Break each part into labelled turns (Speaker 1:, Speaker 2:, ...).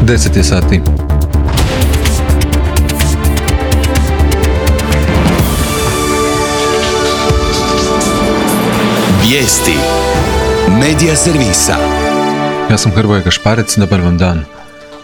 Speaker 1: 10 je sati.
Speaker 2: Vijesti Medija servisa.
Speaker 1: Ja sam Hrvoje Gašparec, dobar vam dan.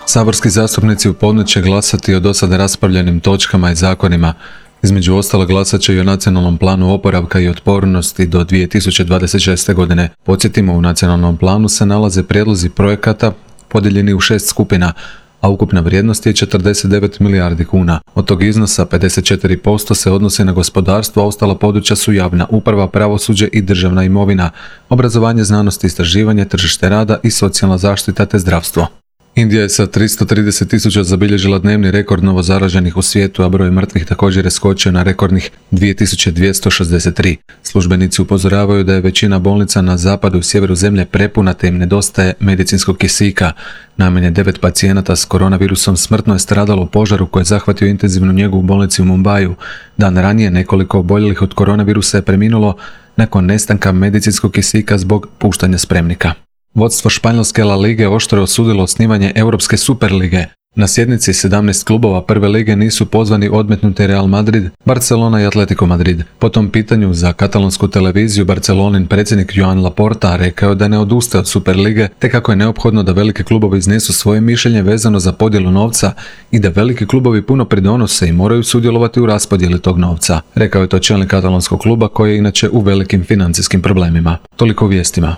Speaker 1: Saborski zastupnici u ponoć će glasati o dosad raspravljenim točkama i zakonima. Između ostalo glasat će i o nacionalnom planu oporavka i otpornosti do 2026. godine. Podsjetimo, u nacionalnom planu se nalaze prijedlozi projekata podijeljeni u 6 skupina, a ukupna vrijednost je 49 milijardi kuna. Od tog iznosa 54% se odnosi na gospodarstvo, a ostala područja su javna uprava, pravosuđe i državna imovina, obrazovanje, znanost i istraživanje, tržište rada i socijalna zaštita te zdravstvo. Indija je sa 330.000 zabilježila dnevni rekord novozaraženih u svijetu, a broj mrtvih također je skočio na rekordnih 2263. Službenici upozoravaju da je većina bolnica na zapadu i sjeveru zemlje prepuna te im nedostaje medicinskog kisika. Najmanje 9 pacijenata s koronavirusom smrtno je stradalo u požaru koji je zahvatio intenzivnu njegu u bolnici u Mumbaju. Dan ranije nekoliko oboljelih od koronavirusa je preminulo nakon nestanka medicinskog kisika zbog puštanja spremnika. Vodstvo španjolske La Lige oštro je osudilo osnivanje Europske Superlige. Na sjednici 17 klubova prve lige nisu pozvani odmetnuti Real Madrid, Barcelona i Atletico Madrid. Po tom pitanju za katalonsku televiziju Barcelonin predsjednik Joan Laporta rekao je da ne odustaje od Superlige, te kako je neophodno da veliki klubovi iznesu svoje mišljenje vezano za podjelu novca i da veliki klubovi puno pridonose i moraju sudjelovati u raspodjeli tog novca. Rekao je to čelnik katalonskog kluba koji je inače u velikim financijskim problemima. Toliko u vijestima.